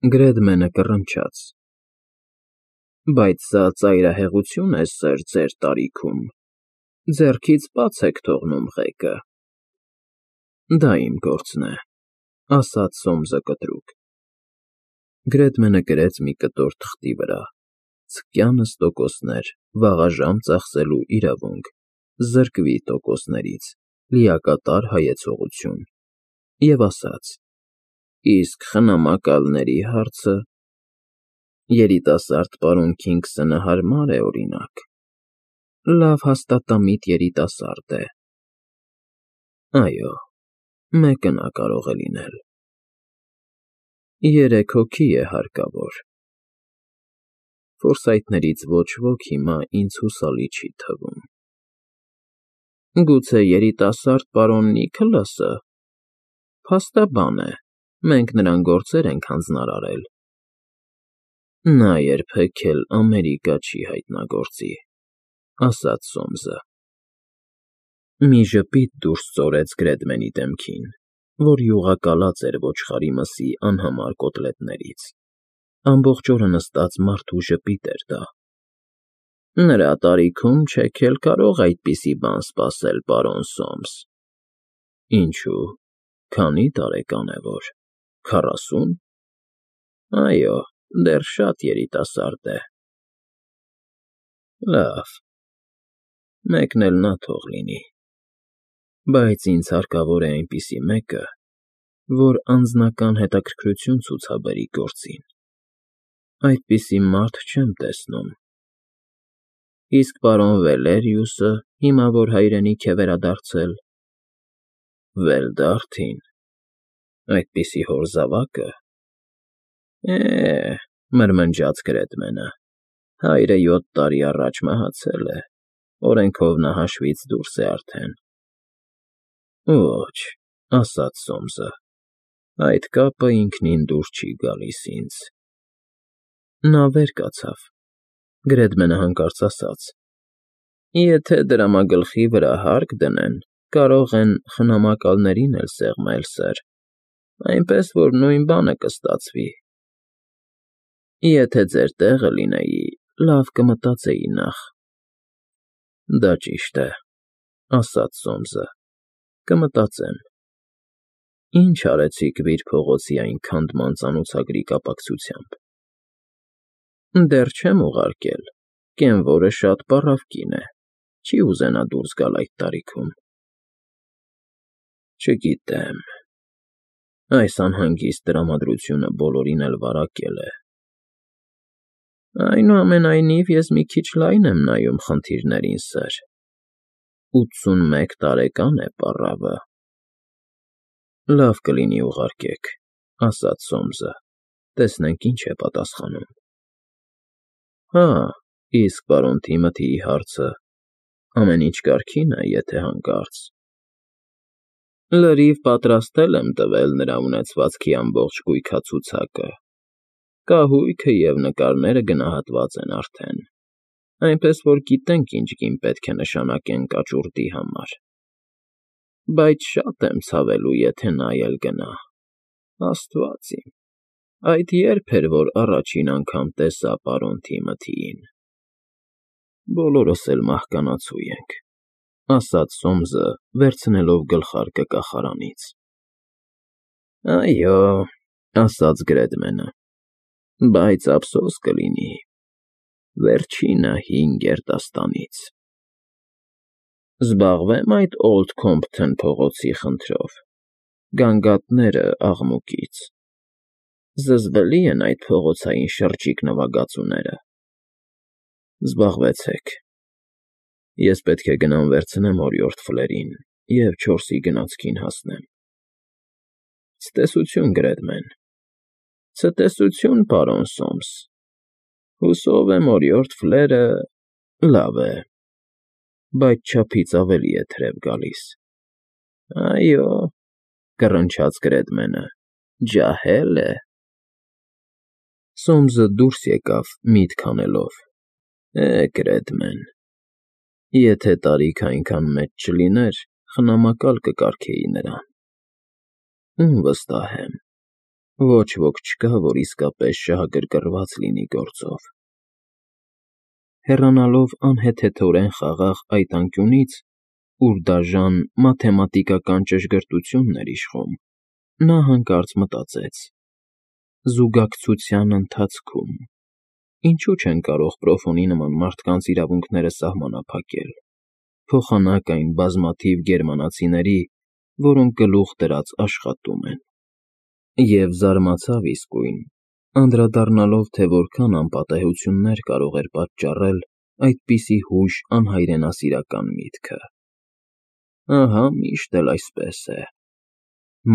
Գրեդմենը կռնչաց. Բայց սա ծայրահեղություն է, սըր, ձեր տարիքում, ձեռքից բաց եք թողնում ղեկը։ Դա իմ գործն է, ասաց Սոմսը կտրուկ։ Գրեդմենը գրեց մի կտոր թղթի վրա. Ցկյանս տոկոսներ, վաղաժամ ծախսելու իրավունք, զրկվի տոկոսներից, լիակատար հայեցողություն, և ասաց. Իսկ խնամակալների հարցը… Երիտասարդ պարոն Քինգսոնը հարմար է, օրինակ, լավ հաստատամիտ երիտասարդ է։ Այո, մեկը նա կարող է լինել։ 3 հոգի է հարկավոր։ Ֆորսայթներից ոչ ոք հիմա ինձ հուսալի չի թվում։ Գուցե երիտասարդ պարոն Նիքլասը… Փաստաբան է, մենք նրան գործեր ենք հանձնարարել։ Նա երբեք էլ Ամերիկա չի հայտնագործի, ասաց Սոմսը։ Մի ժպիտ դուրս ծորեց Գրեդմենի դեմքին, որ յուղակալած էր ոչխարի մսի անհամար կոտլետներից։ Ամբողջ օրը նստած մարդու ժպիտ էր դա։ Նրա տարիքում չեք էլ կարող այդպիսի բան սպասել, պարոն Սոմս։ Ինչու՞, քանի՞ տարեկան է որ, 40… Այո, դեռ շատ երիտասարդ է։ Լավ, մեկն էլ նա թող լինի, բայց ինձ հարկավոր է այնպիսի մեկը, որ անձնական հետաքրքրություն ցուցաբերի գործին։ Այդպիսի մարդ չեմ տեսնում։ Իսկ պարոն Վելերիուսը, հիմա որ հայրենիք է վերադարձել… Վելդարթին… Այդպիսի հոր զավակը… Մրմնջաց Գրեդմենը, հայրը 7 տարի առաջ մահացել է, օրենքով նա հաշվից դուրս է արդեն։ Ոչ, ասաց Սոմսը, այդ կապը ինքնին դուր չի գալիս ինձ։ Նա վեր կացավ։ Գրեդմենը հանկարծ ասաց. Եթե դրամագլխի վրա հարկ դնեն, կարող են խնամակալներին էլ սեղմել, սըր, այնպես որ նույն բանը կստացվի։ Եթե ձեր տեղը լինեի, լավ կմտածեի նախ։ Դա ճիշտ է, ասաց Սոմսը, կմտածեմ։ Ինչ արեցիք Վիր փողոցի այն քանդման ծանոթագրի կապակցությամբ։ Դեռ չեմ ուղարկել, կենվորը շատ պառավ կին է, չի ուզենա դուրս գալ այդ տարիքում։ Չգիտեմ, այս անհանգիստ տրամադրությունը բոլորին էլ վարակել է։ Այնուամենայնիվ ես մի քիչ լայն եմ նայում խնդիրներին, սըր, 81 տարեկան է պառավը։ Լավ կլինի ուղարկեք, ասաց Սոմսը, տեսնենք ինչ է պատասխանում։ Հա, իսկ պարոն Թիմոթիի հարցը… Ամեն ինչ կարգին է, եթե հանկարծ… Լրիվ պատրաստել եմ տվել նրա ունեցվածքի ամբողջ կույքացուցակը, կահույքը և նկարները գնահատված են արդեն, այնպես որ գիտենք ինչ գին պետք է նշանակենք աճուրդի համար։ Բայց շատ եմ ցավելու, եթե նա էլ գնա… Աստված իմ… Այդ ե՞րբ էր, որ առաջին անգամ տեսա պարոն Թիմոթիին։ Բոլորս էլ մահկանացու ենք, ասաց Սոմսը, վերցնելով գլխարկը կախարանից։ Այո, ասաց Գրեդմենը, բայց ափսոս կլինի, վերջինը հին գերդաստանից։ Զբաղվե՞մ այդ Օլդ Քոմփթոն փողոցի խնդրով, գանգատները աղմուկից… Զզվելի են այդ փողոցային շրջիկ նվագածուները։ Զբաղվեցեք։ Ես պետք է գնամ վերցնեմ օրիորդ Ֆլերին և 4-ի գնացքին հասնեմ։ Ցտեսություն, Գրեդմեն։ Ցտեսություն, պարոն Սոմս։ Հուսով եմ օրիորդ Ֆլերը… Լավ է, բայց չափից ավելի է թրև գալիս։ Այո, կռնչաց Գրեդմենը, ջահել է։ Սոմսը դուրս եկավ, միտք անելով. Գրեդմեն… Եթե տարիքը այնքան մեծ չլիներ, խնամակալ կկարգեի նրան։ Ում վստահեմ, Ոչ ոք չկա, որ իսկապես շահագրգռված լինի գործով։ Հեռանալով անհեթեթորեն խաղաղ այդ անկյունից, ուր դաժան մաթեմատիկական ճշգրտությունն էր իշխում, նա հանկարծ մտածեց. զուգակցության ընթացքում ինչու չեն կարող Պրոֆոնի նման մարդկանց իրավունքները սահմանափակել, փոխանակ այն բազմաթիվ գերմանացիների, որոնք գլուխ դրած աշխատում են։ Եվ զարմացավ իսկույն, անդրադառնալով, թե որքան անպատեհություններ կարող էր պատճառել այդպիսի հույժ անհայրենասիրական միտքը։ Ահա միշտ էլ այսպես է։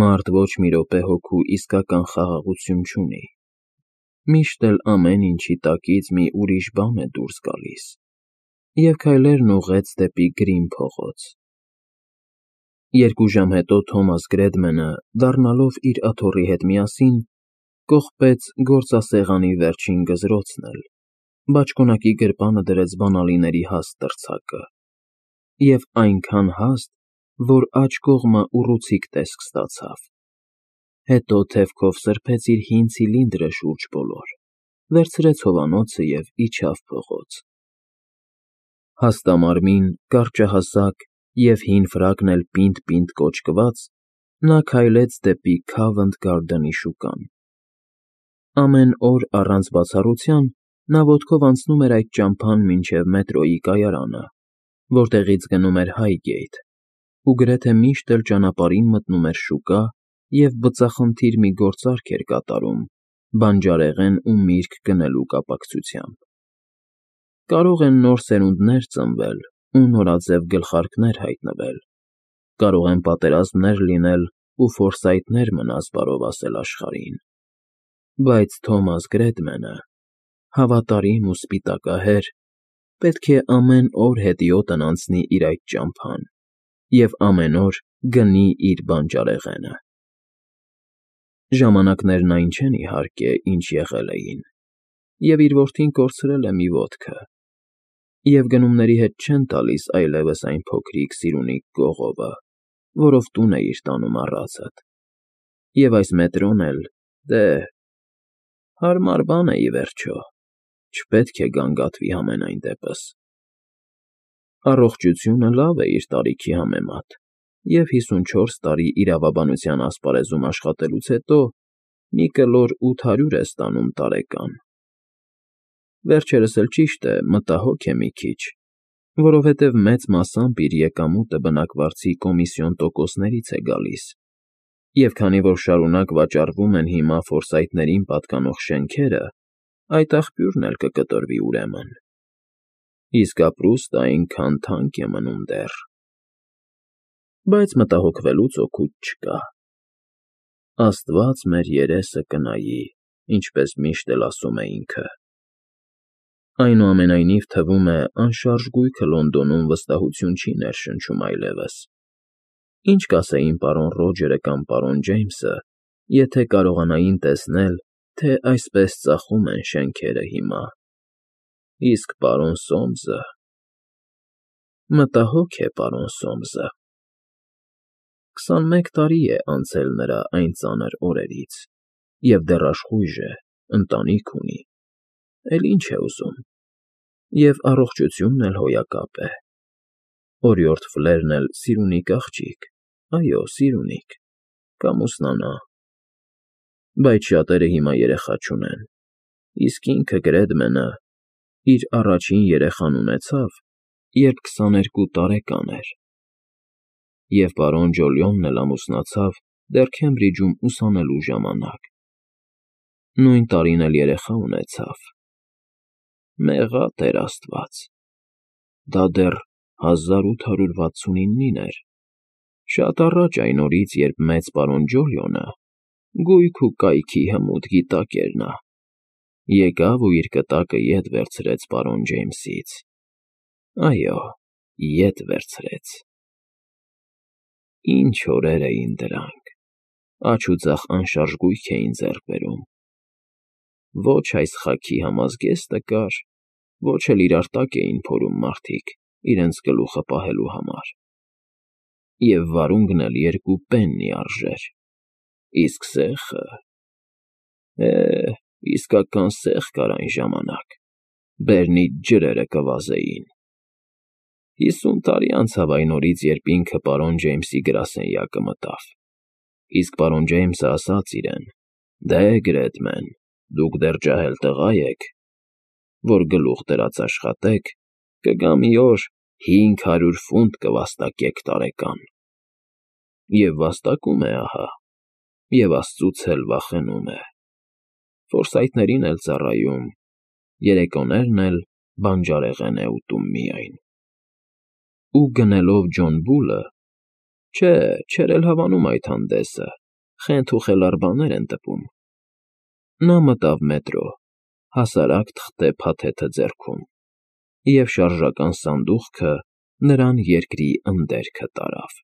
Մարդ ոչ մի րոպե հոգու իսկական խաղաղություն չունի։ Միշտ էլ ամեն ինչի տակից մի ուրիշ բան է դուրս գալիս։ Եվ քայլերն ուղղեց դեպի Գրին փողոց։ 2 ժամ հետո Թոմաս Գրեդմենը, դառնալով իր աթոռի հետ միասին, կողպեց գործասեղանի վերջին գզրոցն էլ, բաճկոնակի գրպանը դրեց բանալիների հաստ տրցակը, և այնքան հաստ, որ աջ կողմը ուռուցիկ տեսք ստացավ։ Հետո թևքով սրբեց իր հին ցիլինդրը շուրջ բոլոր, վերցրեց հովանոցը և իջավ փողոց։ Հաստամարմին, կարճահասակ և հին ֆրակն էլ պինդ-պինդ կոճկված, նա քայլեց դեպի Քավընթ Գարդենի շուկան։ Ամեն օր առանց բացառության նա ոտքով անցնում էր այդ ճամփան մինչև մետրոյի կայարանը, որտեղից գնում էր Հայգեյթ, ու գրեթե միշտ էլ ճանապարհին մտնում էր շուկա և բծախնդիր մի գործարք էր կատարում բանջարեղեն ու միրգ գնելու կապակցությամբ։ Կարող են նոր սերունդներ ծնվել ու նորաձև գլխարկներ հայտնվել, կարող են պատերազմներ լինել ու ֆորսայթներ մնաց բարով ասել աշխարհին, բայց Թոմաս Գրեդմենը, հավատարիմ ու սպիտակահեր, պետք է ամեն օր հետիոտն անցնի իր այդ ճամփան և ամեն օր գնի իր բանջարեղենը։ Ժամանակներն այն չեն, իհարկե, ինչ եղել էին, և իր որդին կորցրել է մի ոտքը, և գնումների հետ չեն տալիս այլևս այն փոքրիկ սիրունիկ կողովը, որով տուն էիր տանում առածդ, և այս մետրոն էլ, դե, հարմար բան է, ի վերջո, չպետք է գանգատվի համենայն դեպս։ Առողջությունը լավ է իր տարիքի համեմատ, և 54 տարի իրավաբանության ասպարեզում աշխատելուց հետո մի կլոր 800 է ստանում տարեկան։ Վերջերս էլ ճիշտ է, մտահոգ է մի քիչ, որովհետև մեծ մասամբ իր եկամուտը բնակվարձի կոմիսիոն տոկոսներից է գալիս, և քանի որ շարունակ վաճառվում են հիմա ֆորսայթներին պատկանող շենքերը, այդ աղբյուրն էլ կկտրվի ուրեմն։ Իսկ ապրուստը այնքան թանկ է մնում դեռ։ Բայց մտահոգվելուց օգուտ չկա։ Աստված մեր երեսը կնայի, ինչպես միշտ էլ ասում է ինքը։ Այնուամենայնիվ, թվում է, անշարժ գույքը Լոնդոնում վստահություն չի ներշնչում այլևս։ Ինչ կասեին պարոն Ռոջերը կամ պարոն Ջեյմսը, եթե կարողանային տեսնել, թե այսպես ծախում են շենքերը հիմա։ Իսկ պարոն Սոմսը… Մտահոգ է պարոն Սոմսը։ 21 տարի է անցել նրա այն ծանր օրերից, և դեռ աշխույժ է, ընտանիք ունի, էլ ինչ է ուզում, և առողջությունն էլ հոյակապ է։ Օրիորդ Ֆլերն էլ սիրունիկ աղջիկ, այո, սիրունիկ, կամուսնանա։ Բայց շատերը հիմա երեխա չունեն, իսկ ինքը Գրեդմենը իր առաջին երեխան ունեցավ, երբ 22 տարեկան էր, և պարոն Ջոլիոնն էլ ամուսնացավ դեռ Քեմբրիջում ուսանելու ժամանակ։ Նույն տարին էլ երեխա ունեցավ։ Մեղա Տեր Աստված։ Դա դեռ 1869-ին էր, շատ առաջ այն օրից, երբ մեծ պարոն Ջոլիոնը, գույք ու կայքի հմուտ գիտակ էր նա, եկավ ու իր կտակը ետ վերցրեց պարոն Ջեյմսից։ Այո, ետ վերցրեց։ Ինչ օրեր էին դրանք, աջ ու ձախ անշարժ գույք էին ձեռք բերում։ Ոչ այս խաքի համազգեստը կար, ոչ էլ իրար տակ էին փորում մարդիկ իրենց գլուխը պահելու համար։ Եվ վարունգն էլ 2 պեննի արժեր, իսկ սեխը… Իսկական սեղ կար այն ժամանակ, բերնից ջրերը կվազեին։ 50 տարի անցավ այն օրից, երբ ինքը պարոն Ջեյմսի գրասենյակը մտավ, իսկ պարոն Ջեյմսը ասաց իրեն. «Դե, Գրեդմեն, դուք դեռ ջահել տղա եք, որ գլուխ դրած աշխատեք, կգա մի օր, 500 ֆունտ կվաստակեք տարեկան»։ Եվ վաստակում է, ահա, և աստծուց էլ վախենում է։ Ֆորսայթներին էլ ծառայում, երեկոներն էլ բանջարեղեն է ուտում միայն։ Ու գնելով Ջոն Բուլը (չէ, չէր էլ հավանում այդ հանդեսը, խենթ ու խելառ բաներ են տպում), նա մտավ մետրո, հասարակ թղթե փաթեթը ձեռքում, և շարժական սանդուղքը նրան երկրի ընդերքը տարավ։